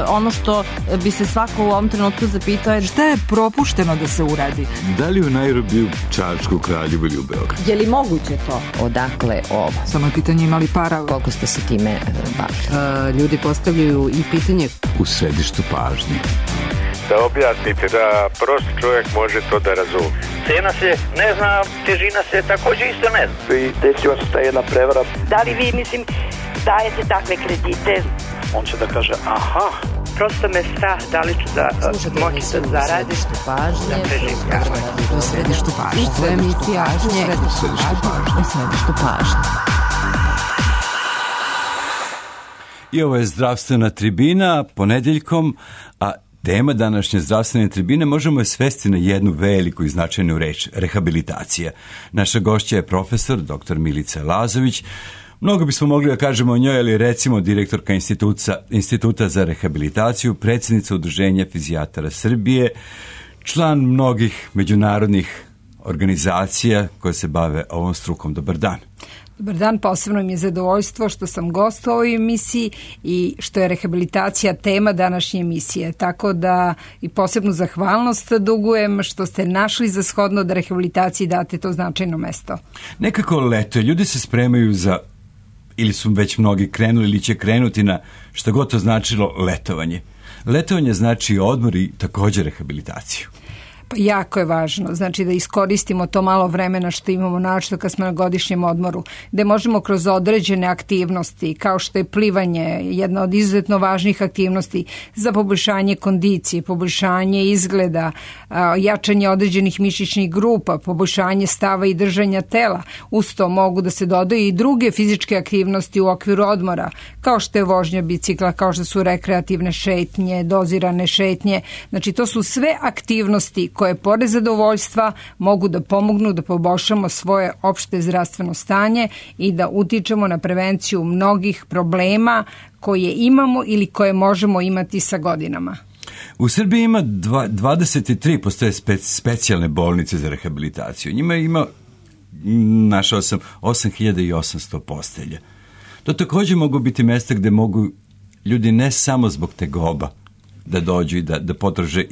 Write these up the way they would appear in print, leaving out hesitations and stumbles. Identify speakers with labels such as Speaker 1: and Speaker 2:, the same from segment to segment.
Speaker 1: ono što bi se svako u ovom trenutku zapitao je
Speaker 2: šta je propušteno da se uradi?
Speaker 3: Da li u Nairobiju, Čačku, Kraljevu ili u Beogradu?
Speaker 1: Je li moguće to?
Speaker 4: Odakle ovo?
Speaker 2: Samo je pitanje imali para.
Speaker 4: Koliko ste se time bavili?
Speaker 5: Ljudi postavljaju i pitanje
Speaker 3: U središtu pažnje.
Speaker 6: Da objasnite, da prost čovjek može to da razumije.
Speaker 7: Cena se ne zna, težina se također isto ne zna.
Speaker 8: I desila se ta jedna prevara.
Speaker 9: Da li vi, dajete takve kredite?
Speaker 8: On će da kaže, aha.
Speaker 9: Prosto me strah, da li ću da moći da zaradim.
Speaker 4: U središtu pažnje.
Speaker 2: U središtu pažnje.
Speaker 4: U središtu pažnje.
Speaker 10: I ovo je zdravstvena tribina ponedeljkom, a tema današnje zdravstvene tribine možemo je svesti na jednu veliku i značajnu reč, rehabilitacija. Naša gošća je profesor dr. Milica Lazović. Mnogo bismo mogli da kažemo o njoj, ali recimo direktorka Instituta za rehabilitaciju, predsjednica Udruženja fizijatara Srbije, član mnogih međunarodnih organizacija koje se bave ovom strukom. Dobar dan.
Speaker 11: Dobar dan, posebno mi je zadovoljstvo što sam gost u ovoj emisiji i što je rehabilitacija tema današnje emisije. Tako da i posebnu zahvalnost dugujem što ste našli za shodno da rehabilitaciji date to značajno mesto.
Speaker 10: Nekako leto, ljudi se spremaju za, ili su već mnogi krenuli ili će krenuti na što god to značilo letovanje. Letovanje znači odmor i također rehabilitaciju.
Speaker 11: Pa jako je važno, znači da iskoristimo to malo vremena što imamo našto kad smo na godišnjem odmoru, gde možemo kroz određene aktivnosti, kao što je plivanje, jedna od izuzetno važnih aktivnosti za poboljšanje kondicije, poboljšanje izgleda, jačanje određenih mišićnih grupa, poboljšanje stava i držanja tela. Uz to mogu da se dodaju i druge fizičke aktivnosti u okviru odmora, kao što je vožnja bicikla, kao što su rekreativne šetnje, dozirane šetnje. Znači to su sve aktivnosti koje pored zadovoljstva mogu da pomognu da poboljšamo svoje opšte zdravstveno stanje i da utičemo na prevenciju mnogih problema koje imamo ili koje možemo imati sa godinama.
Speaker 10: U Srbiji ima 23 postoje specijalne bolnice za rehabilitaciju. Njima ima, našao sam, 8800 postelja. To također mogu biti mjesta gdje mogu ljudi ne samo zbog tegoba da dođu i da potraže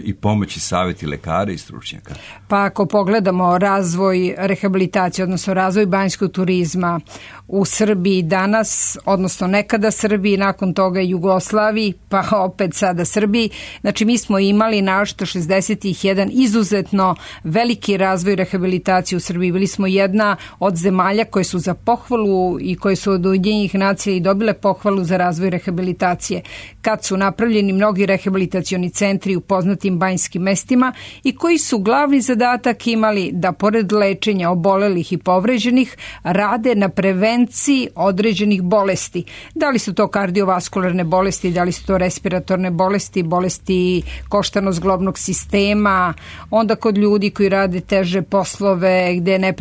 Speaker 10: i pomoći savjeti lekara i stručnjaka.
Speaker 11: Pa ako pogledamo razvoj rehabilitacije, odnosno razvoj banjskog turizma u Srbiji danas, odnosno nekada Srbiji, nakon toga Jugoslaviji, pa opet sada Srbiji, znači mi smo imali našto 61 izuzetno veliki razvoj rehabilitacije u Srbiji. Bili smo jedna od zemalja koje su za pohvalu i koje su od Ujedinjenih nacija i dobile pohvalu za razvoj rehabilitacije. Kad su napravljeni mnogi rehabilitacioni centri u poznatim banjskim mestima i koji su glavni zadatak imali da pored lečenja obolelih i povređenih rade na prevenciji određenih bolesti. Da li su to kardiovaskularne bolesti, da li su to respiratorne bolesti, bolesti koštano-zglobnog sistema, onda kod ljudi koji rade teže poslove gde je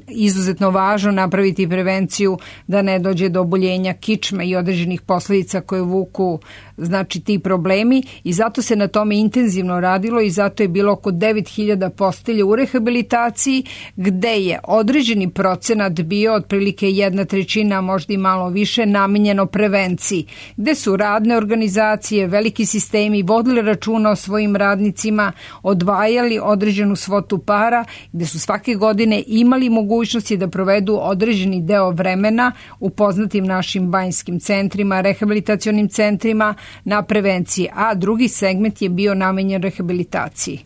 Speaker 11: izuzetno važno napraviti prevenciju da ne dođe do oboljenja kičme i određenih posljedica koje vuku znači ti problemi i zato se na tome intenzivno radilo i zato je bilo oko 9000 postelja u rehabilitaciji gde je određeni procenat bio otprilike 1/3, možda i malo više, namenjeno prevenciji, gde su radne organizacije, veliki sistemi vodili računa o svojim radnicima, odvajali određenu svotu para, gde su svake godine imali mogućnosti da provedu određeni deo vremena u poznatim našim banjskim centrima, rehabilitacionim centrima na prevenciji, a drugi segment je bio namenjen rehabilitaciji.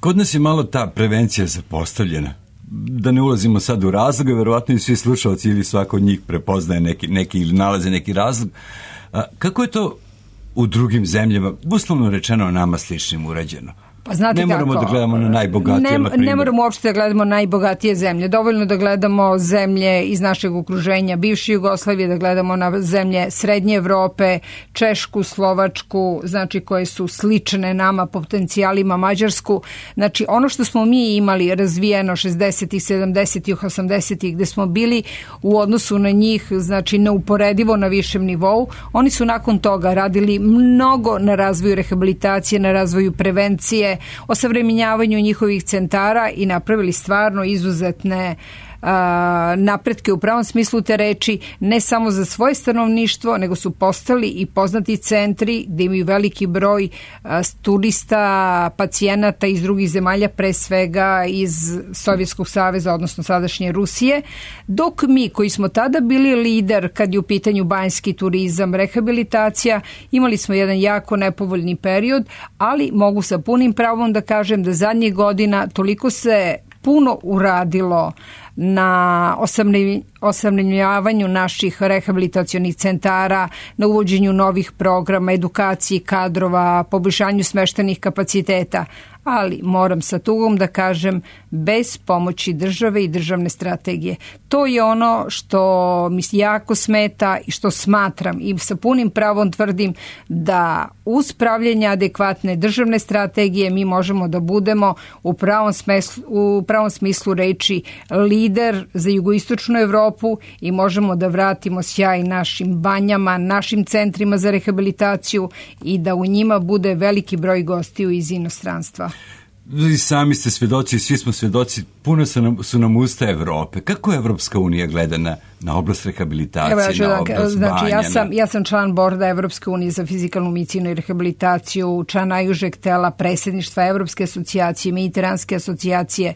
Speaker 10: Kod nas je malo ta prevencija zapostavljena. Da ne ulazimo sad u razloge, verovatno i svi slušalci ili svako od njih prepoznaje neki ili nalaze neki razlog. Kako je to u drugim zemljama, uslovno rečeno nama sličnim, urađeno?
Speaker 11: Pa znate
Speaker 10: ne moramo
Speaker 11: kako,
Speaker 10: da gledamo na najbogatije,
Speaker 11: ne moramo uopšte da gledamo najbogatije zemlje. Dovoljno da gledamo zemlje iz našeg okruženja, bivše Jugoslavije, da gledamo na zemlje Srednje Evrope, Češku, Slovačku, znači koje su slične nama potencijalima, Mađarsku. Znači ono što smo mi imali razvijeno 60-ih, 70-ih, 80-ih, gde smo bili u odnosu na njih, znači neuporedivo na višem nivou, oni su nakon toga radili mnogo na razvoju rehabilitacije, na razvoju prevencije, osavremenjavanju njihovih centara i napravili stvarno izuzetne napretke u pravom smislu te reči, ne samo za svoje stanovništvo, nego su postali i poznati centri gde imaju veliki broj turista, pacijenata iz drugih zemalja, pre svega iz Sovjetskog saveza, odnosno sadašnje Rusije, dok mi koji smo tada bili lider kad je u pitanju banjski turizam, rehabilitacija, imali smo jedan jako nepovoljni period, ali mogu sa punim pravom da kažem da zadnjih godina toliko se puno uradilo na osamljenjavanju naših rehabilitacionih centara, na uvođenju novih programa, edukaciji kadrova, poboljšanju smeštenih kapaciteta, ali moram sa tugom da kažem bez pomoći države i državne strategije. To je ono što mi jako smeta i što smatram i sa punim pravom tvrdim da uz pravljenje adekvatne državne strategije mi možemo da budemo u pravom smislu reči lider za jugoistočnu Evropu i možemo da vratimo sjaj našim banjama, našim centrima za rehabilitaciju i da u njima bude veliki broj gostiju iz inostranstva.
Speaker 10: Vi sami ste svedoci, svi smo svedoci, puno su nam usta Evrope. Kako Evropska unija gleda na oblast rehabilitacije, na oblast banja?
Speaker 11: Ja sam član borda Evropske unije za fizikalnu medicinu i rehabilitaciju, član najužeg tela predsjedništva Evropske asocijacije, Mediteranske asocijacije.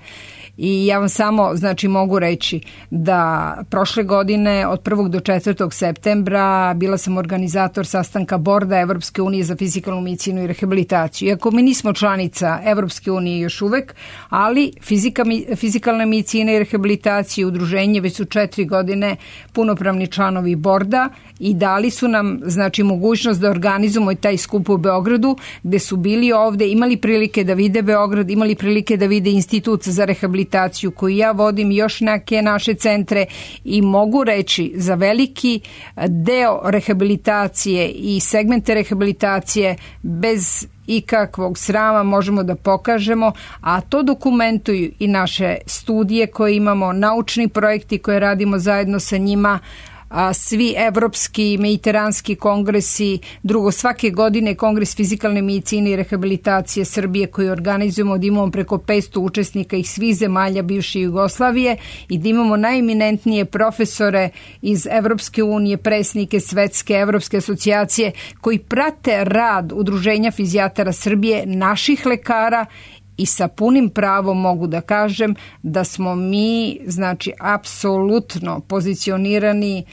Speaker 11: I ja vam samo, mogu reći da prošle godine od 1. do 4. septembra bila sam organizator sastanka borda Evropske unije za fizikalnu medicinu i rehabilitaciju. Iako mi nismo članica Evropske unije još uvek, ali fizikalna medicina i rehabilitacija udruženje već su 4 godine punopravni članovi borda i dali su nam mogućnost da organizujemo taj skup u Beogradu gde su bili ovde, imali prilike da vide Beograd, imali prilike da vide Institut za rehabilitaciju koju ja vodim, još neke naše centre i mogu reći za veliki deo rehabilitacije i segmente rehabilitacije bez ikakvog srama možemo da pokažemo, a to dokumentuju i naše studije koje imamo, naučni projekti koje radimo zajedno sa njima, svi evropski, mediteranski kongresi, drugo svake godine kongres fizikalne medicine i rehabilitacije Srbije koji organizujemo, da imamo preko 500 učesnika iz svih zemalja bivše Jugoslavije i da imamo najeminentnije profesore iz Evropske unije, predsjednike Svetske Evropske asocijacije koji prate rad Udruženja fizijatara Srbije, naših lekara i sa punim pravom mogu da kažem da smo mi, apsolutno pozicionirani,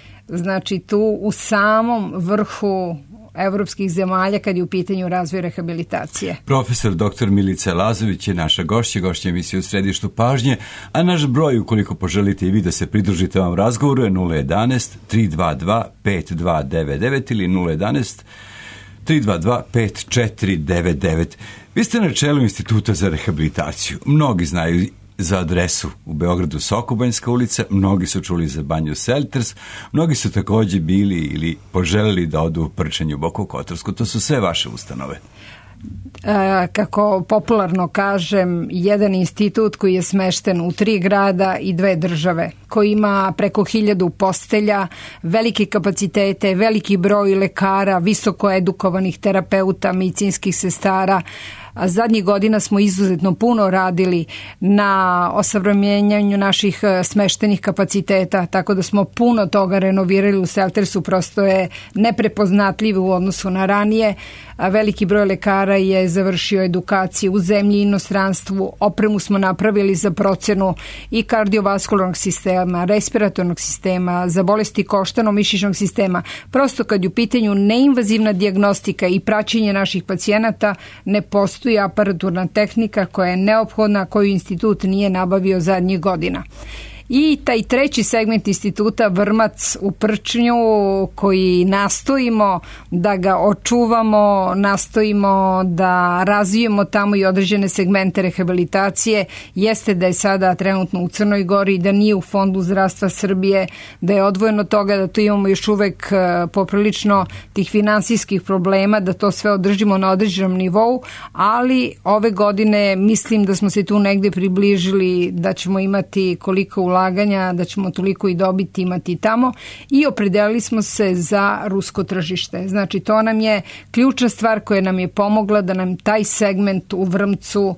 Speaker 11: tu u samom vrhu evropskih zemalja kad je u pitanju razvoj rehabilitacije.
Speaker 10: Profesor dr. Milica Lazović je naša gošća emisije U središtu pažnje, a naš broj, ukoliko poželite i vi da se pridružite ovom razgovoru, je 011 322 5299 ili 011 322 5499. Vi ste na čelu Instituta za rehabilitaciju. Mnogi znaju za adresu u Beogradu Sokobanjska ulica, mnogi su čuli za banju Selters, mnogi su također bili ili poželeli da odu u Prčanju, Boku Kotorsku. To su sve vaše ustanove.
Speaker 11: Kako popularno kažem, jedan institut koji je smešten u 3 grada i 2 države, koji ima preko 1000 postelja, velike kapacitete, veliki broj lekara, visoko edukovanih terapeuta, medicinskih sestara. A zadnjih godina smo izuzetno puno radili na osavremenjanju naših smeštenih kapaciteta, tako da smo puno toga renovirali u Seltersu, prosto je neprepoznatljivo u odnosu na ranije. A veliki broj lekara je završio edukaciju u zemlji i inostranstvu, opremu smo napravili za procenu i kardiovaskularnog sistema, respiratornog sistema, za bolesti koštano-mišićnog sistema. Prosto kad je u pitanju neinvazivna dijagnostika i praćenje naših pacijenata, ne postoji aparaturna tehnika koja je neophodna, koju institut nije nabavio zadnjih godina. I taj treći segment instituta Vrmac u Prčnju, koji nastojimo da ga očuvamo, nastojimo da razvijemo tamo i određene segmente rehabilitacije, jeste da je sada trenutno u Crnoj Gori, da nije u Fondu zdravstva Srbije, da je odvojeno toga, da to imamo još uvek poprilično tih finansijskih problema, da to sve održimo na određenom nivou, ali ove godine mislim da smo se tu negde približili da ćemo imati koliko ulaganja, da ćemo toliko i dobiti imati tamo i opredelili smo se za rusko tržište. Znači to nam je ključna stvar koja nam je pomogla da nam taj segment u Vrmcu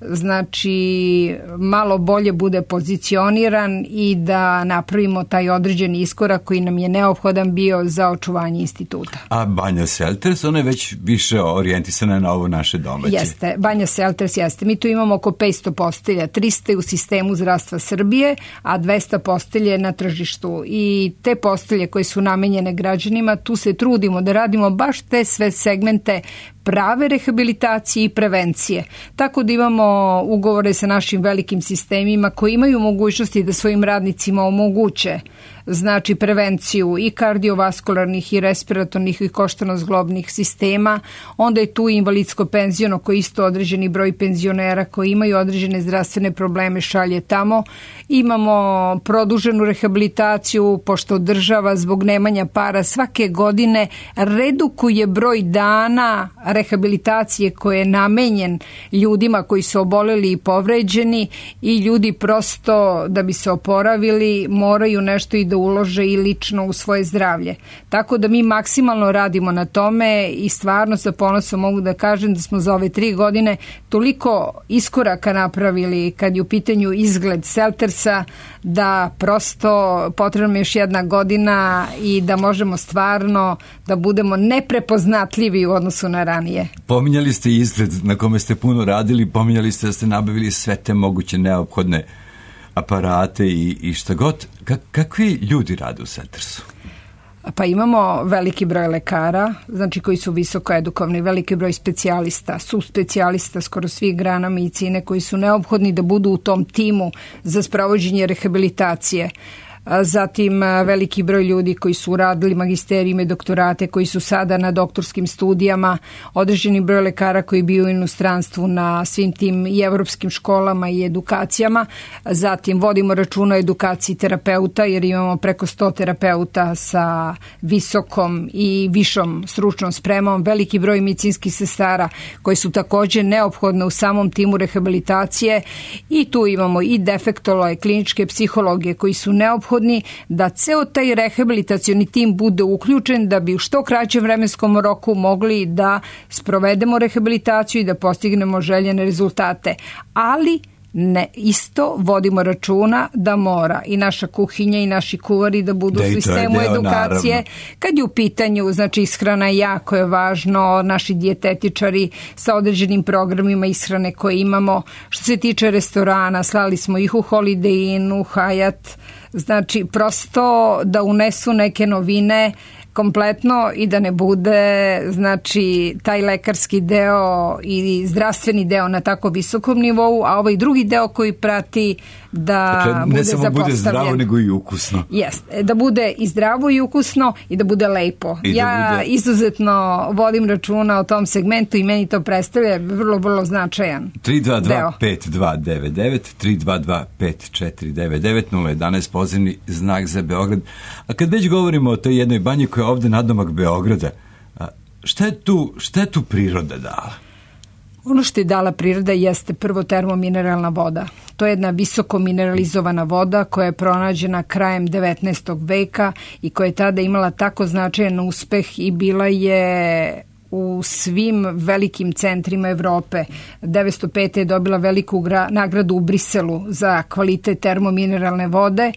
Speaker 11: znači malo bolje bude pozicioniran i da napravimo taj određeni iskorak koji nam je neophodan bio za očuvanje instituta.
Speaker 10: A Banja Selters, ona je već više orijentisana na ovo naše domaće.
Speaker 11: Jeste, Banja Selters jeste. Mi tu imamo oko 500 postelja, 300 u sistemu zdravstva Srbije, a 200 postelje na tržištu. I te postelje koje su namenjene građanima, tu se trudimo da radimo baš te sve segmente prave rehabilitacije i prevencije. Tako da imamo ugovore sa našim velikim sistemima koji imaju mogućnosti da svojim radnicima omoguće znači prevenciju i kardiovaskularnih i respiratornih i koštano-zglobnih sistema. Onda je tu invalidsko penziono koji isto određeni broj penzionera koji imaju određene zdravstvene probleme šalje tamo. Imamo produženu rehabilitaciju pošto država zbog nemanja para svake godine redukuje broj dana rehabilitacije koje je namenjen ljudima koji su oboleli i povređeni i ljudi prosto da bi se oporavili moraju nešto i da ulože i lično u svoje zdravlje. Tako da mi maksimalno radimo na tome i stvarno sa ponosom mogu da kažem da smo za ove 3 godine toliko iskoraka napravili kad je u pitanju izgled Seltersa da prosto potrebno je još 1 godina i da možemo stvarno da budemo neprepoznatljivi u odnosu na ranije.
Speaker 10: Pominjali ste izgled na kome ste puno radili, pominjali ste da ste nabavili sve te moguće neophodne aparate i šta god. Kakvi ljudi rade u Seltersu?
Speaker 11: Pa imamo veliki broj lekara, znači koji su visoko edukovani, veliki broj specijalista, subspecijalista skoro svih grana medicine koji su neophodni da budu u tom timu za sprovođenje rehabilitacije. Zatim veliki broj ljudi koji su radili magisterije, doktorate, koji su sada na doktorskim studijama, određeni broj lekara koji bio u inostranstvu na svim tim i evropskim školama i edukacijama. Zatim vodimo računa o edukaciji terapeuta jer imamo preko 100 terapeuta sa visokom i višom stručnom spremom, veliki broj medicinskih sestara koji su također neophodne u samom timu rehabilitacije i tu imamo i defektologe, kliničke psihologe koji su neophodni da ceo taj rehabilitacioni tim bude uključen da bi u što kraćem vremenskom roku mogli da sprovedemo rehabilitaciju i da postignemo željene rezultate. Ali ne, isto vodimo računa da mora i naša kuhinja i naši kuvari da budu u sistemu edukacije. Naravno. Kad je u pitanju, znači ishrana jako je važno, naši dijetetičari sa određenim programima ishrane koje imamo. Što se tiče restorana, slali smo ih u Holiday Inn, u Hyatt, znači prosto da unesu neke novine kompletno i da ne bude znači taj lekarski deo i zdravstveni deo na tako visokom nivou, a ovaj drugi deo koji prati da
Speaker 10: dakle,
Speaker 11: bude
Speaker 10: ne samo
Speaker 11: zapostavljen.
Speaker 10: Bude zdravo nego i ukusno.
Speaker 11: Jeste, da bude i zdravo i ukusno i da bude lepo. Ja izuzetno vodim računa o tom segmentu i meni to predstavlja vrlo, vrlo značajan
Speaker 10: 322-5299 322-5499 011 pozivni znak za Beograd. A kad već govorimo o toj jednoj banji koja je ovde nadomak Beograda, šta je tu priroda dala?
Speaker 11: Ono što je dala priroda jeste prvo termomineralna voda. To je jedna visoko mineralizovana voda koja je pronađena krajem 19. veka i koja je tada imala tako značajan uspeh i bila je u svim velikim centrima Evrope. 1905. je dobila veliku nagradu u Briselu za kvalitet termomineralne vode,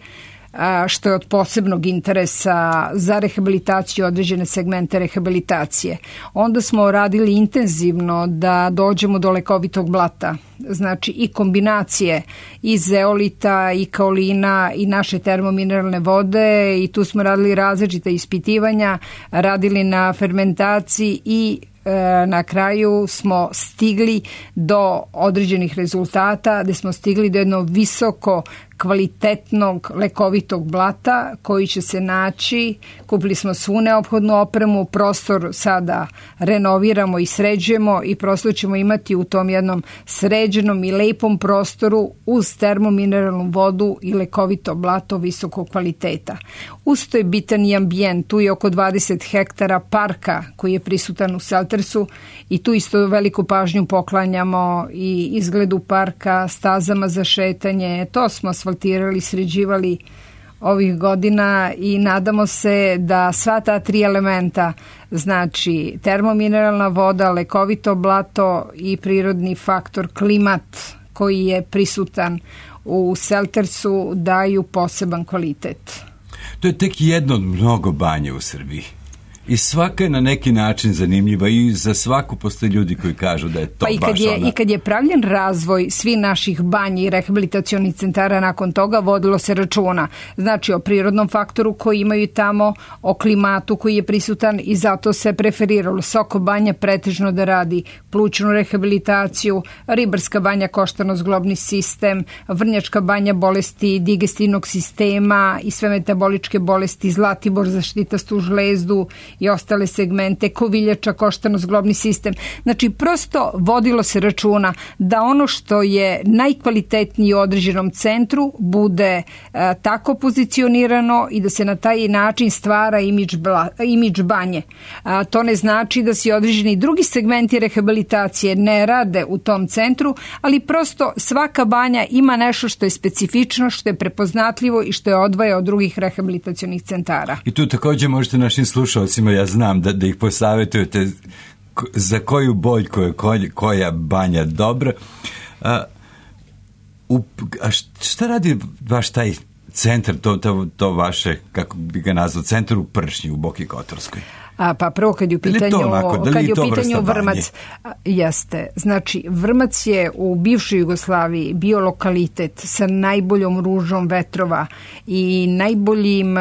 Speaker 11: što je od posebnog interesa za rehabilitaciju, određene segmente rehabilitacije. Onda smo radili intenzivno da dođemo do lekovitog blata, znači i kombinacije i zeolita i kaolina i naše termomineralne vode i tu smo radili različite ispitivanja, radili na fermentaciji i na kraju smo stigli do određenih rezultata gde smo stigli do jednog visoko kvalitetnog lekovitog blata koji će se naći. Kupili smo svu neophodnu opremu, prostor sada renoviramo i sređujemo i prosto ćemo imati u tom jednom sređenom i lepom prostoru uz termomineralnu vodu i lekovito blato visokog kvaliteta. Uz to je bitan i ambijent, tu je oko 20 hektara parka koji je prisutan u Seltersu i tu isto veliku pažnju poklanjamo i izgledu parka, stazama za šetanje, to smo asfaltirali, sređivali ovih godina i nadamo se da sva ta 3 elementa, znači termomineralna voda, lekovito blato i prirodni faktor klimat koji je prisutan u seltersu, daju poseban kvalitet.
Speaker 10: To je tek jedno od mnogo banja u Srbiji. I svaka je na neki način zanimljiva i za svaku postoje ljudi koji kažu da je to baš ona.
Speaker 11: I kad je pravljen razvoj svi naših banji i rehabilitacionih centara nakon toga, vodilo se računa. Znači o prirodnom faktoru koji imaju tamo, o klimatu koji je prisutan i zato se preferiralo Soko banja pretežno da radi plućnu rehabilitaciju, Ribarska banja koštano-zglobni sistem, Vrnjačka banja bolesti digestivnog sistema i sve metaboličke bolesti, Zlatibor zaštitastu žlezdu i ostale segmente, Koviljača, koštano-zglobni sistem. Znači, prosto vodilo se računa da ono što je najkvalitetnije u određenom centru bude tako pozicionirano i da se na taj način stvara imidž banje. To ne znači da se određeni drugi segmenti rehabilitacije ne rade u tom centru, ali prosto svaka banja ima nešto što je specifično, što je prepoznatljivo i što je odvaja od drugih rehabilitacionih centara.
Speaker 10: I tu također možete našim slušalcima, ja znam da ih posavjetujete za koju boljku je koja banja dobra. A šta radi vaš taj centar, to vaše, kako bi ga nazvao, centar u Pršnji, u Boki Kotorskoj?
Speaker 11: Pa prvo kad je u pitanju Vrmac, jeste. Znači, Vrmac je u bivšoj Jugoslaviji bio lokalitet sa najboljom ružom vetrova i najboljim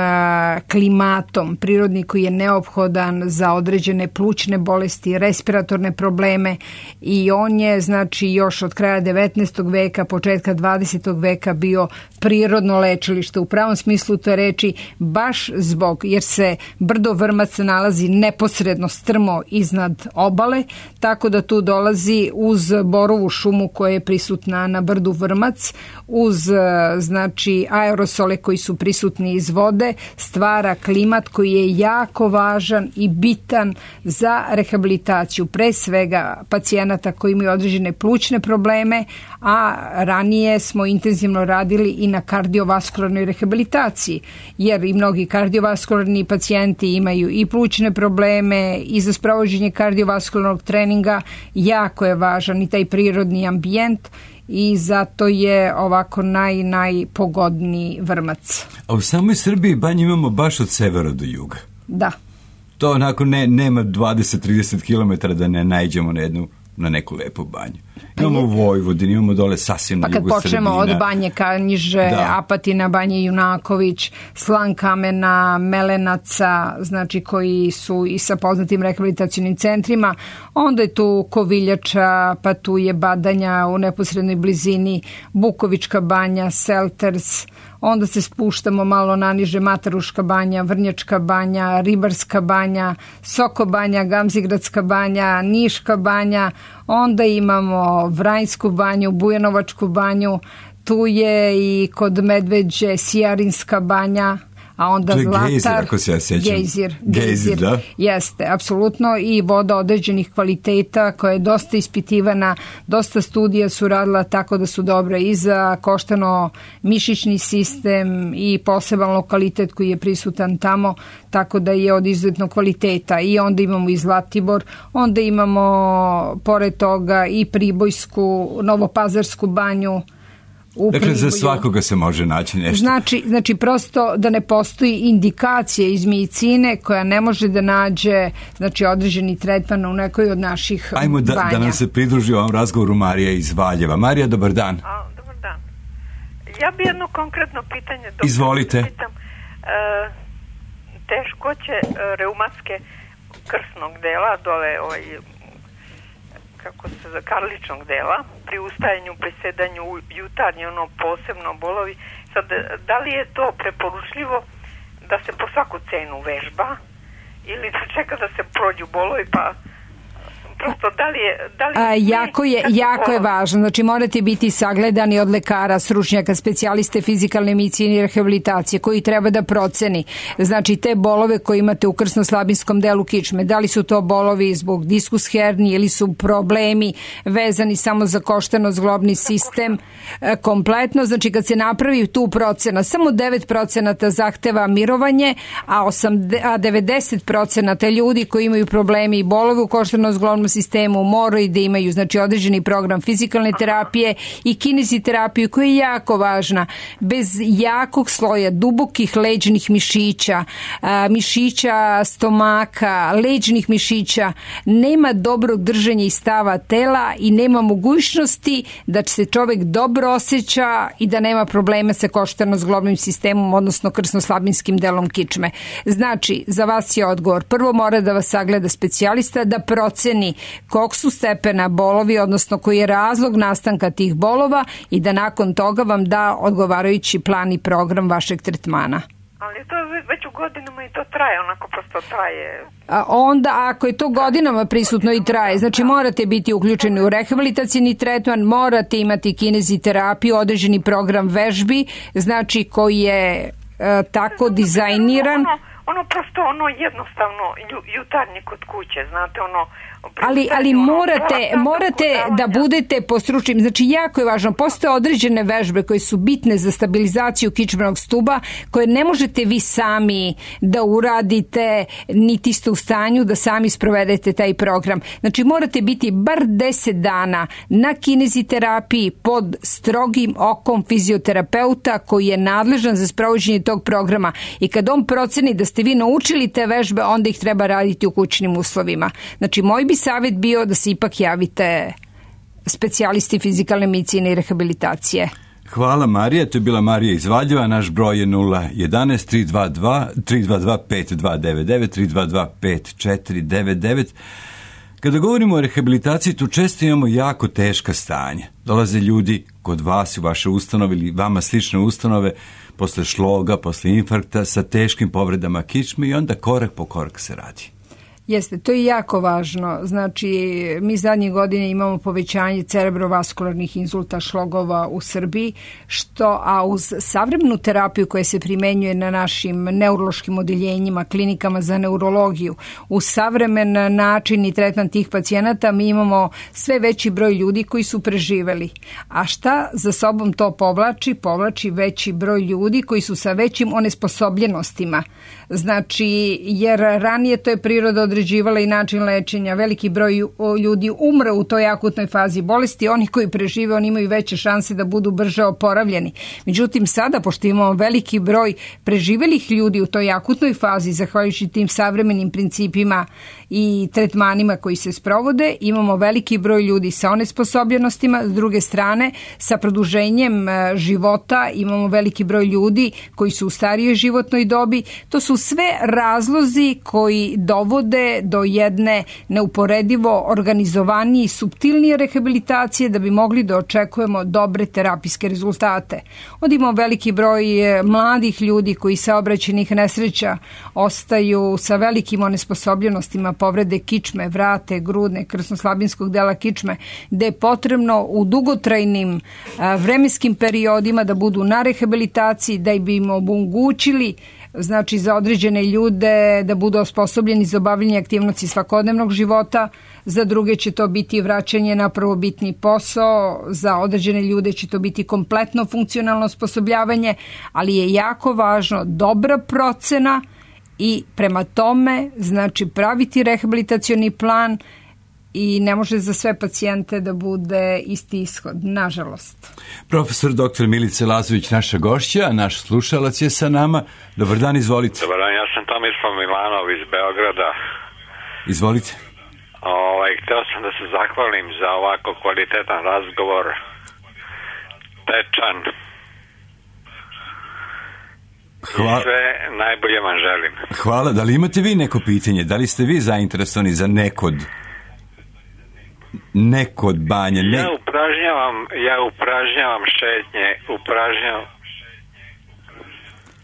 Speaker 11: klimatom prirodni koji je neophodan za određene plućne bolesti, respiratorne probleme i on je, znači, još od kraja 19. veka, početka 20. veka bio prirodno lečilište. U pravom smislu te reči, baš zbog, jer se brdo Vrmac nalazi neposredno strmo iznad obale, tako da tu dolazi uz borovu šumu koja je prisutna na brdu Vrmac, uz znači aerosole koji su prisutni iz vode, stvara klimat koji je jako važan i bitan za rehabilitaciju pre svega pacijenata koji imaju određene plućne probleme, a ranije smo intenzivno radili i na kardiovaskularnoj rehabilitaciji, jer i mnogi kardiovaskularni pacijenti imaju i plućne probleme i za sprovođenje kardiovaskularnog treninga jako je važan i taj prirodni ambijent i zato je ovako najpogodniji Vrmac.
Speaker 10: A u samoj Srbiji banje imamo baš od severa do juga.
Speaker 11: Da.
Speaker 10: To onako nema 20-30 km da ne naiđemo na neku lepu banju. Imamo u Vojvodini, imamo dole sasvim na jugu Srbina.
Speaker 11: Pa kad počnemo od Banje Kanjiže, Apatina, Banje Junaković, Slankamena, Melenaca, znači koji su i sa poznatim rehabilitacionim centrima, onda je tu Koviljača, pa tu je Badanja u neposrednoj blizini, Bukovička banja, Selters, onda se spuštamo malo naniže, Mataruška banja, Vrnjačka banja, Ribarska banja, Soko banja, Gamzigradska banja, Niška banja, onda imamo Vranjsku banju, Bujanovačku banju, tu je i kod Medveđe Sijarinska banja, a onda
Speaker 10: to je
Speaker 11: Zlatar,
Speaker 10: gejzir, ako se ja sjećam.
Speaker 11: Gejzir,
Speaker 10: da?
Speaker 11: Jeste, apsolutno, i voda određenih kvaliteta koja je dosta ispitivana, dosta studija su radila tako da su dobre i za koštano-mišićni sistem i poseban lokalitet koji je prisutan tamo, tako da je od izuzetnog kvaliteta. I onda imamo i Zlatibor, onda imamo pored toga i Pribojsku, Novopazarsku banju.
Speaker 10: Dakle, za svakoga se može naći nešto.
Speaker 11: Znači, prosto da ne postoji indikacije iz medicine koja ne može da nađe, znači, određeni tretman u nekoj od naših banja.
Speaker 10: Ajmo da nam se pridruži ovom razgovoru Marija iz Valjeva. Marija, dobar dan.
Speaker 9: Dobar dan. Ja bi jedno konkretno pitanje.
Speaker 10: Izvolite.
Speaker 9: Pitam, teškoće reumatske krsnog dela, dole kako se za karličnog dela, pri ustajanju, pri sedanju, jutarnji, posebno bolovi. Sad, da li je to preporučljivo da se po svaku cenu vežba ili da čeka da se prođu bolovi pa prosto, da li
Speaker 11: jako je važno. Znači, morate biti sagledani od lekara, stručnjaka, specijaliste fizikalne medicine i rehabilitacije, koji treba da proceni. Znači, te bolove koje imate u krsno-slabinskom delu kičme, da li su to bolovi zbog diskus hernije ili su problemi vezani samo za koštano-zglobni sistem kompletno. Znači, kad se napravi tu procena, samo 9% zahteva mirovanje, a 90% ljudi koji imaju problemi i bolove u koštano-zglobnom sistemu moraju da imaju, znači, određeni program fizikalne terapije i kineziterapiju koja je jako važna. Bez jakog sloja dubokih leđnih mišića, mišića stomaka, leđnih mišića, nema dobrog držanja i stava tela i nema mogućnosti da se čovek dobro osjeća i da nema problema sa koštano-zglobnim sistemom, odnosno krsno-slabinskim delom kičme. Znači, za vas je odgovor. Prvo mora da vas sagleda specijalista, da proceni kog su stepena bolovi, odnosno koji je razlog nastanka tih bolova i da nakon toga vam da odgovarajući plan i program vašeg tretmana.
Speaker 9: Ali to već u godinama i to traje, onako prosto traje.
Speaker 11: Onda, ako je to godinama prisutno i traje, znači morate biti uključeni u rehabilitacijni tretman, morate imati kineziterapiju, određeni program vežbi, znači koji je tako dizajniran.
Speaker 9: Ono prosto, jednostavno jutarnji kod kuće, znate,
Speaker 11: ali morate da budete po stručnim, znači jako je važno, postoje određene vežbe koje su bitne za stabilizaciju kičmenog stuba, koje ne možete vi sami da uradite, niti ste u stanju da sami sprovedete taj program. Znači morate biti bar 10 dana na kineziterapiji pod strogim okom fizioterapeuta koji je nadležan za sprovođenje tog programa i kad on proceni da ste vi naučili te vežbe, onda ih treba raditi u kućnim uslovima. Znači moj bi savjet bio da se ipak javite specijalisti fizikalne medicine i rehabilitacije.
Speaker 10: Hvala Marija, to je bila Marija iz Valjeva, naš broj je 011-322-5299, 322-5499. Kada govorimo o rehabilitaciji, tu često imamo jako teška stanja. Dolaze ljudi kod vas u vaše ustanove ili vama slične ustanove posle šloga, posle infarkta sa teškim povredama kičme i onda korak po korak se radi.
Speaker 11: Jeste, to je jako važno. Znači, mi zadnje godine imamo povećanje cerebrovaskularnih insulta, šlogova u Srbiji, a uz savremenu terapiju koja se primenjuje na našim neurološkim odeljenjima, klinikama za neurologiju, uz savremen način i tretman tih pacijenata, mi imamo sve veći broj ljudi koji su preživeli. A šta za sobom to povlači? Povlači veći broj ljudi koji su sa većim onesposobljenostima. Znači, jer ranije to je priroda određivala i način lečenja. Veliki broj ljudi umre u toj akutnoj fazi bolesti. Oni koji prežive, oni imaju veće šanse da budu brže oporavljeni. Međutim, sada, pošto imamo veliki broj preživelih ljudi u toj akutnoj fazi, zahvaljujući tim savremenim principima i tretmanima koji se sprovode, imamo veliki broj ljudi sa onesposobljenostima. S druge strane, sa produženjem života imamo veliki broj ljudi koji su u starijoj životnoj dobi. To su sve razlozi koji dovode do jedne neuporedivo organizovanije i suptilnije rehabilitacije da bi mogli da očekujemo dobre terapijske rezultate. Onda imamo veliki broj mladih ljudi koji saobraćajnih nesreća ostaju sa velikim onesposobljenostima, povrede kičme, vrate, grudne, krsno-slabinskog dela kičme, gde je potrebno u dugotrajnim vremenskim periodima da budu na rehabilitaciji, da bi im omogućili, znači za određene ljude da budu osposobljeni za obavljanje aktivnosti svakodnevnog života, za druge će to biti vraćanje na prvobitni posao, za određene ljude će to biti kompletno funkcionalno osposobljavanje, ali je jako važno dobra procena i prema tome, znači praviti rehabilitacioni plan i ne može za sve pacijente da bude isti ishod, nažalost.
Speaker 10: Profesor dr. Milica Lazović, naša gošća, naš slušalac je sa nama. Dobar dan, izvolite.
Speaker 6: Dobar dan, ja sam Tomislav Milanov iz Beograda.
Speaker 10: Izvolite.
Speaker 6: Hteo sam da se zahvalim za ovako kvalitetan razgovor, tečan.
Speaker 10: Hvala.
Speaker 6: I sve najbolje vam želim.
Speaker 10: Hvala. Da li imate vi neko pitanje? Da li ste vi zainteresovani za neko od banja?
Speaker 6: Ja upražnjavam šetnje,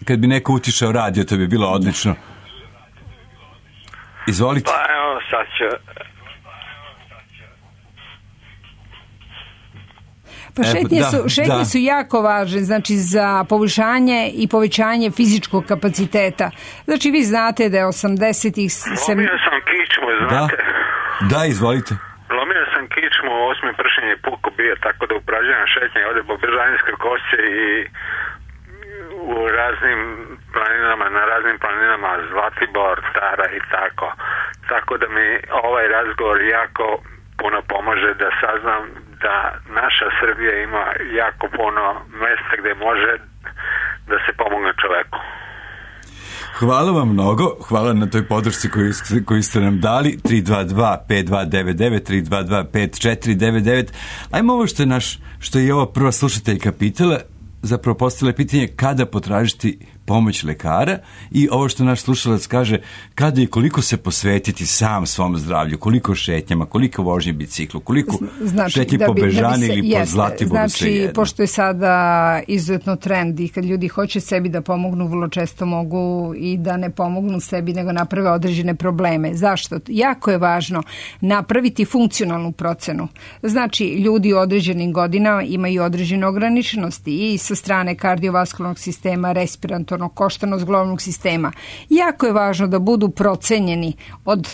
Speaker 10: Kad bi neko utišao radio, to bi bilo odlično. Izvolite.
Speaker 6: Pa evo, sad ću...
Speaker 11: Pa šetnje su jako važne, znači za poboljšanje i povećanje fizičkog kapaciteta. Znači vi znate da je 80-ih...
Speaker 6: Lomio sam kičmu, znate.
Speaker 10: Da, izvolite.
Speaker 6: Lomio sam kičmu, 8. pršenje puko bio, tako da upražnjam šetnje ovdje po Bežanijskoj kosi i u raznim planinama, na raznim planinama, Zlatibor, Tara i tako. Tako da mi ovaj razgovor jako puno pomože da saznam da naša Srbija ima jako puno mjesta gdje može da se pomogne čoveku.
Speaker 10: Hvala vam mnogo, hvala na toj podršci koju ste nam dali, 322-5299, 322-5499. Ajmo ovo što je ova prva slušateljka pitala, zapravo postavila pitanje kada potražiti pomoć lekara i ovo što naš slušalac kaže, kada i koliko se posvetiti sam svom zdravlju, koliko šetnjama, koliko vožnje biciklu, koliko šetnje po Bežani ili po Zlatiboru,
Speaker 11: znači, pošto je sada izuzetno trend i kad ljudi hoće sebi da pomognu, vrlo često mogu i da ne pomognu sebi, nego naprave određene probleme. Zašto? Jako je važno napraviti funkcionalnu procenu. Znači, ljudi u određenim godinama imaju određene ograničenosti i sa strane kardiovaskularnog sistema, respiratornog, koštano-zglobnog sistema. Jako je važno da budu procenjeni od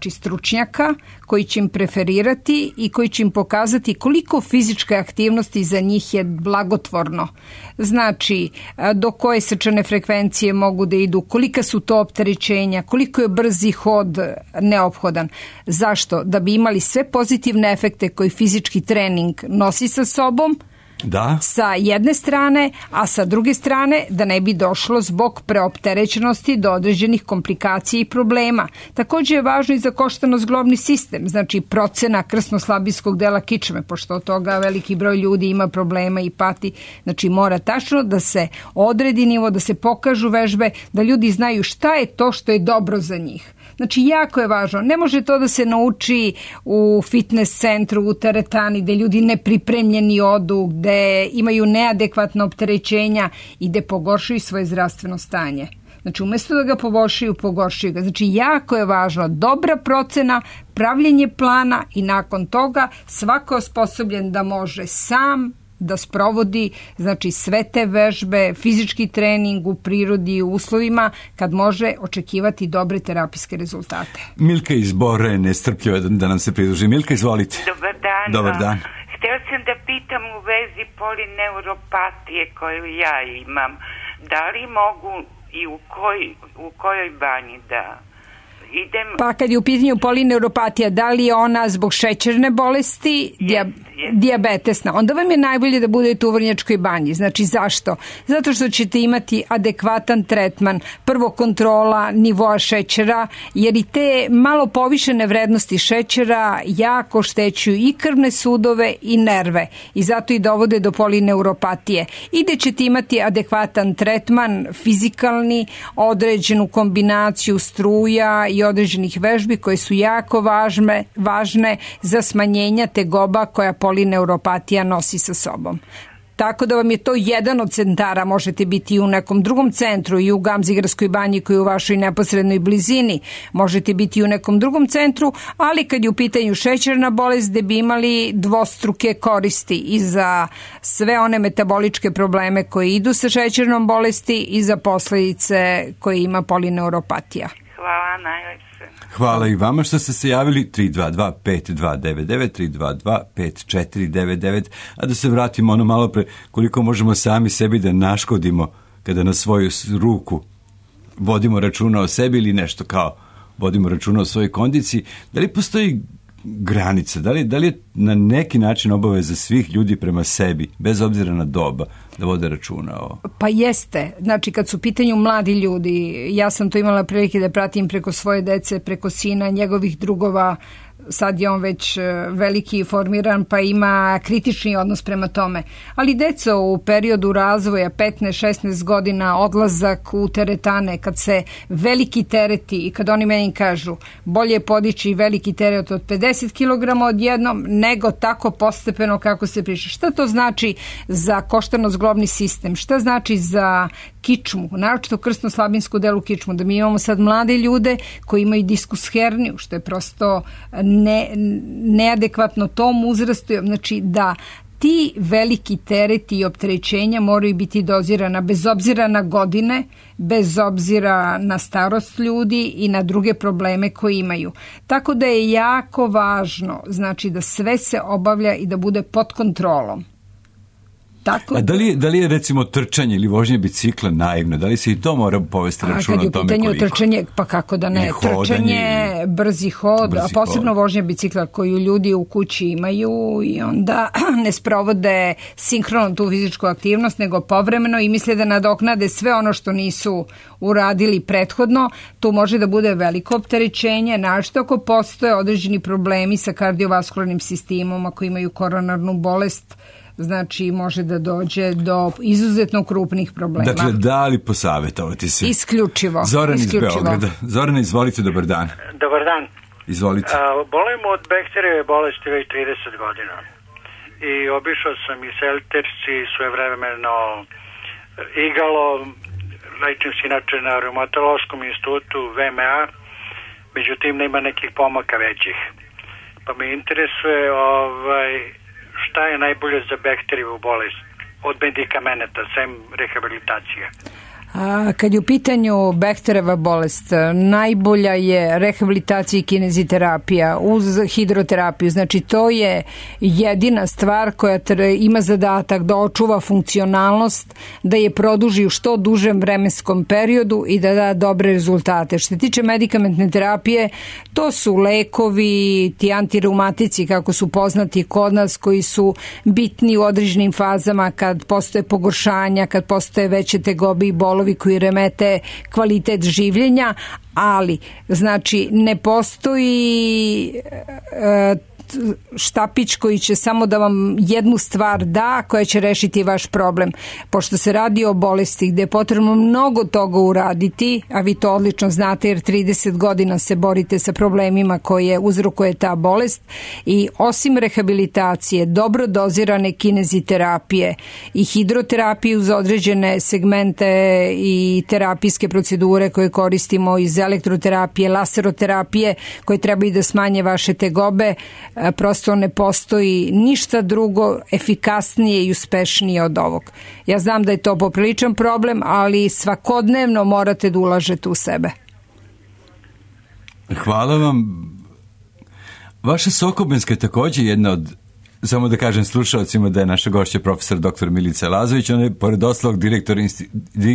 Speaker 11: stručnjaka koji će im preferirati i koji će im pokazati koliko fizičke aktivnosti za njih je blagotvorno. Znači, do koje srčane frekvencije mogu da idu, kolika su to opterećenja, koliko je brzi hod neophodan. Zašto? Da bi imali sve pozitivne efekte koji fizički trening nosi sa sobom, sa jedne strane, a sa druge strane da ne bi došlo zbog preopterećenosti do određenih komplikacija i problema. Također je važno i za koštano-zglobni sistem, znači procena krsno-slabinskog dela kičme, pošto od toga veliki broj ljudi ima problema i pati. Znači mora tačno da se odredi nivo, da se pokažu vežbe, da ljudi znaju šta je to što je dobro za njih. Znači, jako je važno. Ne može to da se nauči u fitness centru, u teretani, gde ljudi nepripremljeni odu, gde imaju neadekvatna opterećenja i gde pogoršuju svoje zdravstveno stanje. Znači, umjesto da ga pogoršuju ga. Znači, jako je važno dobra procena, pravljenje plana i nakon toga svako je osposobljen da može sam da sprovodi, znači, sve te vežbe, fizički trening u prirodi i u uslovima kad može očekivati dobre terapijske rezultate.
Speaker 10: Milka iz Bora je nestrpljiva da nam se pridruži. Milka, izvolite.
Speaker 9: Dobar dan. Htjela sam da pitam u vezi polineuropatije koju ja imam. Da li mogu i u kojoj banji da idem?
Speaker 11: Pa kad je u pitanju polineuropatija, da li je ona zbog šećerne bolesti, dijabetesna, onda vam je najbolje da budete u Vrnjačkoj banji. Znači zašto? Zato što ćete imati adekvatan tretman, prvo kontrola nivoa šećera, jer i te malo povišene vrednosti šećera jako štećuju i krvne sudove i nerve i zato i dovode do polineuropatije. I da ćete imati adekvatan tretman, fizikalni, određenu kombinaciju struja i određenih vežbi koje su jako važne za smanjenja tegoba koja polineuropatija nosi sa sobom. Tako da vam je to jedan od centara, možete biti i u nekom drugom centru, i u Gamzigarskoj banji koji je u vašoj neposrednoj blizini, možete biti i u nekom drugom centru, ali kad je u pitanju šećerna bolest, gde bi imali dvostruke koristi i za sve one metaboličke probleme koje idu sa šećernom bolesti i za posljedice koje ima polineuropatija.
Speaker 9: Hvala najlepše.
Speaker 10: Hvala i vama što ste se javili, 322-5299, 322-5499, a da se vratimo ono malo pre, koliko možemo sami sebi da naškodimo kada na svoju ruku vodimo računa o sebi ili nešto kao vodimo računa o svojoj kondiciji. Da li postoji granica, da li je na neki način obaveza svih ljudi prema sebi, bez obzira na doba, da vode računa o...
Speaker 11: Pa jeste. Znači, kad su u pitanju mladi ljudi, ja sam to imala prilike da pratim preko svoje dece, preko sina, njegovih drugova, sad je on već veliki i formiran, pa ima kritični odnos prema tome. Ali deca u periodu razvoja 15-16 godina, odlazak u teretane, kad se veliki tereti i kad oni meni kažu bolje je podići veliki teret od 50 kg odjednom nego tako postepeno kako se priča. Šta to znači za koštano-zglobni sistem? Šta znači za kičmu, naročito krsno-slabinsku delu kičmu, da mi imamo sad mlade ljude koji imaju diskus herniju, što je prosto neadekvatno tom uzrastu, znači da ti veliki tereti i opterećenja moraju biti dozirana bez obzira na godine, bez obzira na starost ljudi i na druge probleme koje imaju. Tako da je jako važno, znači da sve se obavlja i da bude pod kontrolom. Tako...
Speaker 10: A da li je recimo trčanje ili vožnje bicikla naivno? Da li se i to mora povesti računa o tome koliko?
Speaker 11: Kad je u pitanju trčanje, pa kako da ne, trčanje, brzi hod, a posebno vožnje bicikla koju ljudi u kući imaju i onda ne sprovode sinhrono tu fizičku aktivnost, nego povremeno i misle da nadoknade sve ono što nisu uradili prethodno. Tu može da bude veliko opterećenje, našto ako postoje određeni problemi sa kardiovaskularnim sistemom, ako imaju koronarnu bolest, znači može da dođe do izuzetno krupnih problema.
Speaker 10: Dakle, da li posavjetovati se?
Speaker 11: Isključivo.
Speaker 10: Zoran iz Beograda. Zoran, izvolite, dobar dan.
Speaker 12: Dobar dan.
Speaker 10: Izvolite.
Speaker 12: Bolim od bakterijeve bolesti već 30 godina. I obišao sam i Selterci, svojevremeno Igalo, lečim se inače na reumatološkom institutu VMA, međutim nema nekih pomaka većih. Pa me interesuje šta je najbolje za bakterijevu bolest od medikamenata, sem rehabilitacije?
Speaker 11: Kad je u pitanju Behterova bolest, najbolja je rehabilitacija i kineziterapija uz hidroterapiju. Znači to je jedina stvar koja ima zadatak da očuva funkcionalnost, da je produži u što dužem vremenskom periodu i da da dobre rezultate. Što se tiče medikamentne terapije, to su lekovi, ti antireumatici kako su poznati kod nas, koji su bitni u određenim fazama kad postoje pogoršanja, kad postoje veće tegobe i bolovi koji remete kvalitet življenja, ali znači ne postoji štapić koji će samo da vam jednu stvar da, koja će rešiti vaš problem. Pošto se radi o bolesti gde je potrebno mnogo toga uraditi, a vi to odlično znate jer 30 godina se borite sa problemima koje uzrokuje ta bolest, i osim rehabilitacije, dobro dozirane kineziterapije i hidroterapije uz određene segmente i terapijske procedure koje koristimo iz elektroterapije, laseroterapije koje trebaju da smanje vaše tegobe, prosto ne postoji ništa drugo efikasnije i uspešnije od ovog. Ja znam da je to popriličan problem, ali svakodnevno morate da ulažete u sebe.
Speaker 10: Hvala vam. Vaša Sokobanjska je također jedna od, samo da kažem slušalcima da je naša gošća profesor dr. Milica Lazović, ona je pored ostalog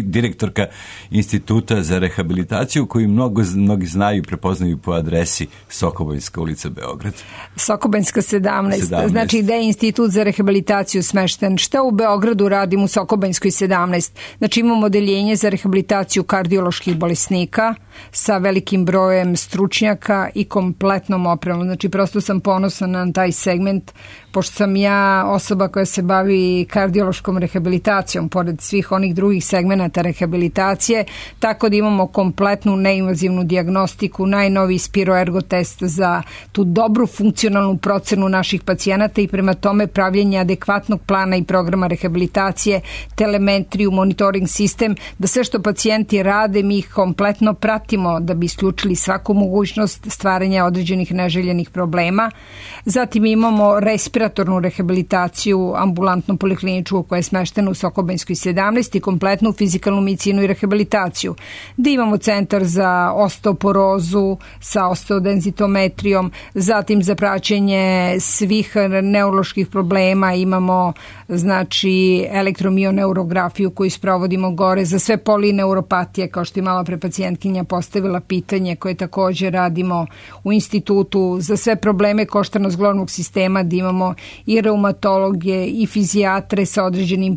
Speaker 10: direktorka Instituta za rehabilitaciju koju mnogi znaju i prepoznaju po adresi Sokobanjska ulica, Beograd.
Speaker 11: Sokobanjska 17. Znači gde je Institut za rehabilitaciju smešten. Šta u Beogradu radim u Sokobanjskoj 17? Znači imamo odeljenje za rehabilitaciju kardioloških bolesnika sa velikim brojem stručnjaka i kompletnom opremom. Znači prosto sam ponosna na taj segment, pošto sam ja osoba koja se bavi kardiološkom rehabilitacijom pored svih onih drugih segmenata rehabilitacije, tako da imamo kompletnu neinvazivnu dijagnostiku, najnoviji spiroergo test za tu dobru funkcionalnu procenu naših pacijenata i prema tome pravljenje adekvatnog plana i programa rehabilitacije, telemetriju, monitoring sistem, da sve što pacijenti rade mi ih kompletno pratimo da bi isključili svaku mogućnost stvaranja određenih neželjenih problema. Zatim imamo respiratornu rehabilitaciju ambulantno polikliničku koja je smeštena u Sokobanjskoj 17 i kompletnu fizikalnu medicinu i rehabilitaciju. Da imamo centar za osteoporozu sa osteodenzitometrijom, zatim za praćenje svih neuroloških problema imamo znači elektromioneurografiju koju sprovodimo gore za sve polineuropatije, kao što je mala pre pacijentkinja postavila pitanje, koje također radimo u institutu za sve probleme koštarno-zglobnog sistema, da imamo i reumatologe i fizijatre sa određenim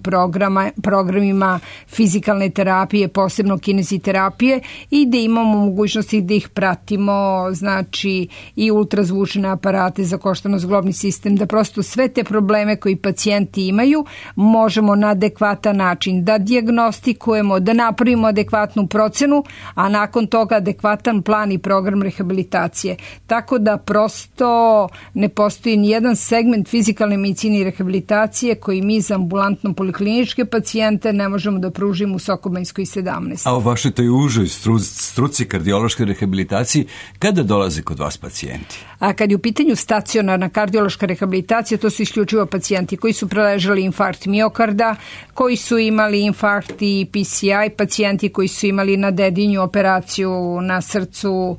Speaker 11: programima fizikalne terapije, posebno kineziterapije, i da imamo mogućnosti da ih pratimo, znači i ultrazvučne aparate za koštarno-zglobni sistem, da prosto sve te probleme koji pacijenti imaju možemo na adekvatan način da dijagnostikujemo, da napravimo adekvatnu procenu, a nakon toga adekvatan plan i program rehabilitacije. Tako da prosto ne postoji ni jedan segment Institut fizikalne medicine i rehabilitacije koji mi za ambulantno polikliničke pacijente ne možemo da pružimo u Sokobanjskoj 17.
Speaker 10: A u vašoj toj užoj struci kardiološke rehabilitacije, kada dolaze kod vas pacijenti?
Speaker 11: A kad je u pitanju stacionarna kardiološka rehabilitacija, to su isključivo pacijenti koji su preležali infarkt miokarda, koji su imali infarkt i PCI, pacijenti koji su imali na dedinju operaciju na srcu,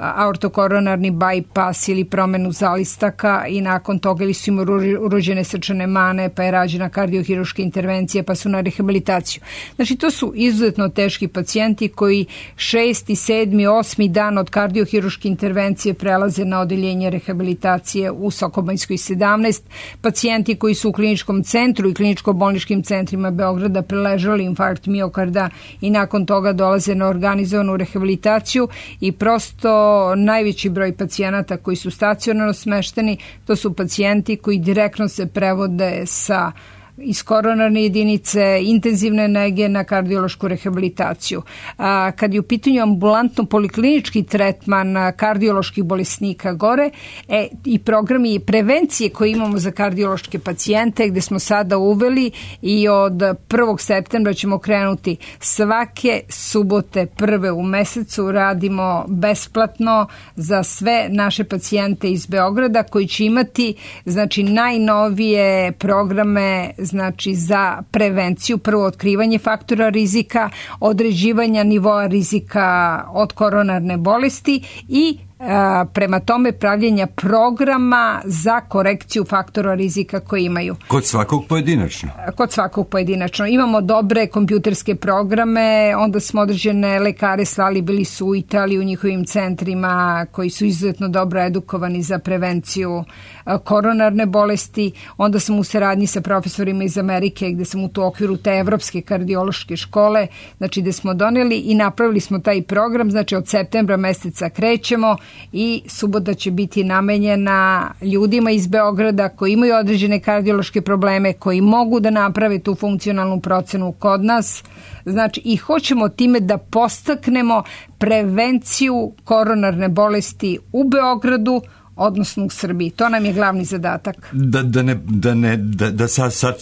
Speaker 11: aortokoronarni bypass ili promenu zalistaka i nakon toga ili su im urođene srčane mane, pa je rađena kardiohiruška intervencija, pa su na rehabilitaciju. Znači, to su izuzetno teški pacijenti koji 6., 7., 8. dan od kardiohiruške intervencije prelaze na odeljenje rehabilitacije u Sokobanjskoj 17. Pacijenti koji su u kliničkom centru i kliničko-bolničkim centrima Beograda preležali infarkt miokarda i nakon toga dolaze na organizovanu rehabilitaciju i prosto najveći broj pacijenata koji su stacionarno smešteni, to su pacijenti koji direktno se prevode iz koronarne jedinice, intenzivne nege na kardiološku rehabilitaciju. Kad je u pitanju ambulantno poliklinički tretman kardioloških bolesnika gore i programi prevencije koje imamo za kardiološke pacijente gde smo sada uveli i od 1. septembra ćemo krenuti svake subote prve u mesecu radimo besplatno za sve naše pacijente iz Beograda koji će imati znači najnovije programe znači za prevenciju, prvo otkrivanje faktora rizika, određivanja nivoa rizika od koronarne bolesti i prema tome pravljenja programa za korekciju faktora rizika koje imaju.
Speaker 10: Kod svakog pojedinačno?
Speaker 11: Kod svakog pojedinačno. Imamo dobre kompjuterske programe, onda smo određene lekare slali, bili su u Italiji u njihovim centrima koji su izuzetno dobro edukovani za prevenciju koronarne bolesti, onda sam u saradnji sa profesorima iz Amerike gde sam u okviru te evropske kardiološke škole, znači gde smo doneli i napravili smo taj program, znači od septembra meseca krećemo i subota će biti namenjena ljudima iz Beograda koji imaju određene kardiološke probleme, koji mogu da naprave tu funkcionalnu procenu kod nas, znači i hoćemo time da podstaknemo prevenciju koronarne bolesti u Beogradu, odnosno u Srbiji. To nam je glavni zadatak.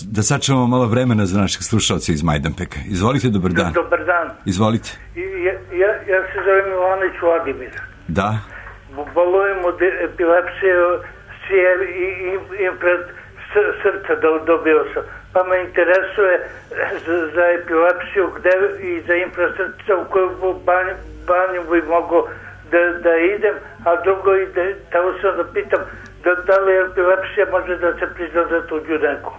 Speaker 10: Da sačuvamo malo vremena za naših slušalca iz Majdanpeka. Izvolite, dobar dan.
Speaker 13: Dobar dan.
Speaker 10: Izvolite.
Speaker 13: Ja se zovem Ivanović Vladimir.
Speaker 10: Da.
Speaker 13: Bolujem od epilepsije i pred srca dobio sam. Pa me interesuje za epilepsiju i za infrasrca u koju banju bi mogo da idem, a drugo tamo sam da pitam da li epilepsija može da se prizna za tuđu neku.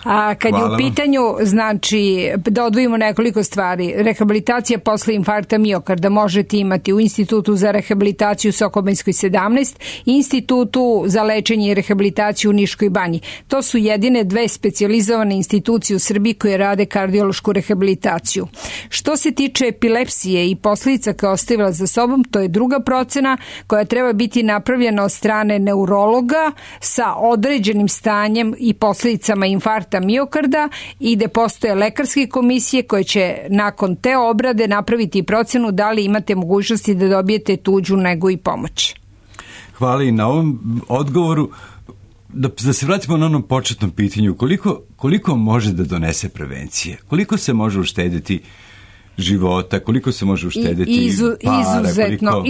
Speaker 11: A kad je u pitanju, znači, da odvojimo nekoliko stvari, rehabilitacija posle infarkta miokarda možete imati u Institutu za rehabilitaciju Sokobanjskoj 17 i Institutu za lečenje i rehabilitaciju u Niškoj banji. To su jedine dve specijalizovane institucije u Srbiji koje rade kardiološku rehabilitaciju. Što se tiče epilepsije i posljedica koje ostavila za sobom, to je druga procena koja treba biti napravljena od strane neurologa sa određenim stanjem i posljedicama infarkta miokarda i gde postoje lekarske komisije koje će nakon te obrade napraviti procenu da li imate mogućnosti da dobijete tuđu negu i pomoć.
Speaker 10: Hvala i na ovom odgovoru. Da se vratimo na onom početnom pitanju, koliko može da donese prevencije? Koliko se može uštediti života, koliko se može uštediti para?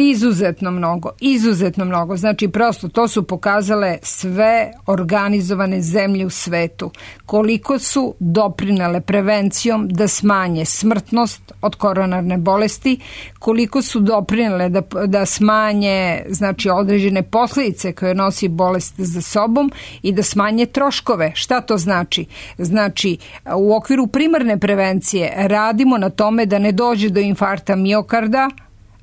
Speaker 10: Izuzetno mnogo. Znači, prosto to su pokazale sve organizovane zemlje u svetu. Koliko su doprinele prevencijom da smanje smrtnost od koronarne bolesti, koliko su doprinele da smanje znači, određene posljedice koje nosi bolest za sobom i da smanje troškove. Šta to znači? Znači, u okviru primarne prevencije radimo na tome da ne dođe do infarkta miokarda,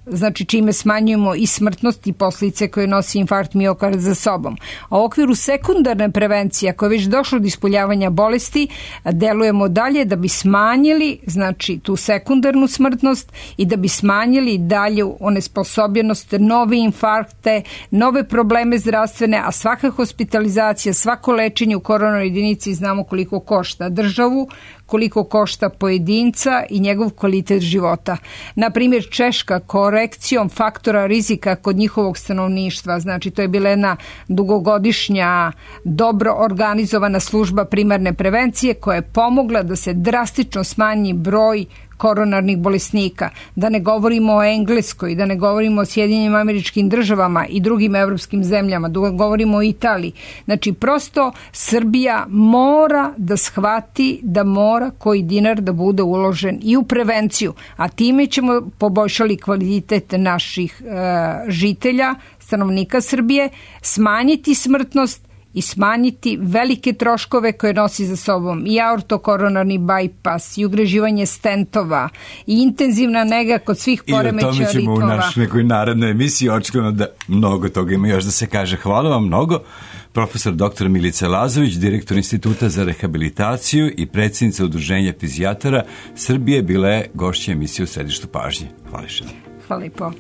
Speaker 10: znači čime smanjujemo i smrtnost i posljedice koje nosi infarkt miokarda za sobom. A u okviru sekundarne prevencije, ako je već došlo do ispoljavanja bolesti, delujemo dalje da bi smanjili znači tu sekundarnu smrtnost i da bi smanjili dalju onesposobljenost, nove infarkte, nove probleme zdravstvene, a svaka hospitalizacija, svako lečenje u koronarnoj jedinici znamo koliko košta državu,
Speaker 11: koliko košta pojedinca i njegov kvalitet života. Naprimjer, Češka korekcijom faktora rizika kod njihovog stanovništva, znači to je bila jedna dugogodišnja, dobro organizovana služba primarne prevencije koja je pomogla da se drastično smanji broj koronarnih bolesnika, da ne govorimo o Engleskoj, da ne govorimo o Sjedinjenim Američkim Državama i drugim evropskim zemljama, da govorimo o Italiji. Znači, prosto Srbija mora da shvati da mora koji dinar da bude uložen i u prevenciju, a time ćemo poboljšali kvalitet naših žitelja, stanovnika Srbije, smanjiti smrtnost i smanjiti velike troškove koje nosi za sobom i aortokoronarni bajpas, i ugreživanje stentova, i intenzivna nega kod svih poremećaja ritmova. I o tome ćemo
Speaker 10: u našoj nekoj narednoj emisiji, očekujemo da mnogo toga ima još da se kaže. Hvala vam mnogo. Profesor dr. Milica Lazović, direktor Instituta za rehabilitaciju i predsjednica Udruženja fizijatara Srbije, bila je gošća emisije u Središtu pažnje. Hvala što.
Speaker 11: Hvala i po.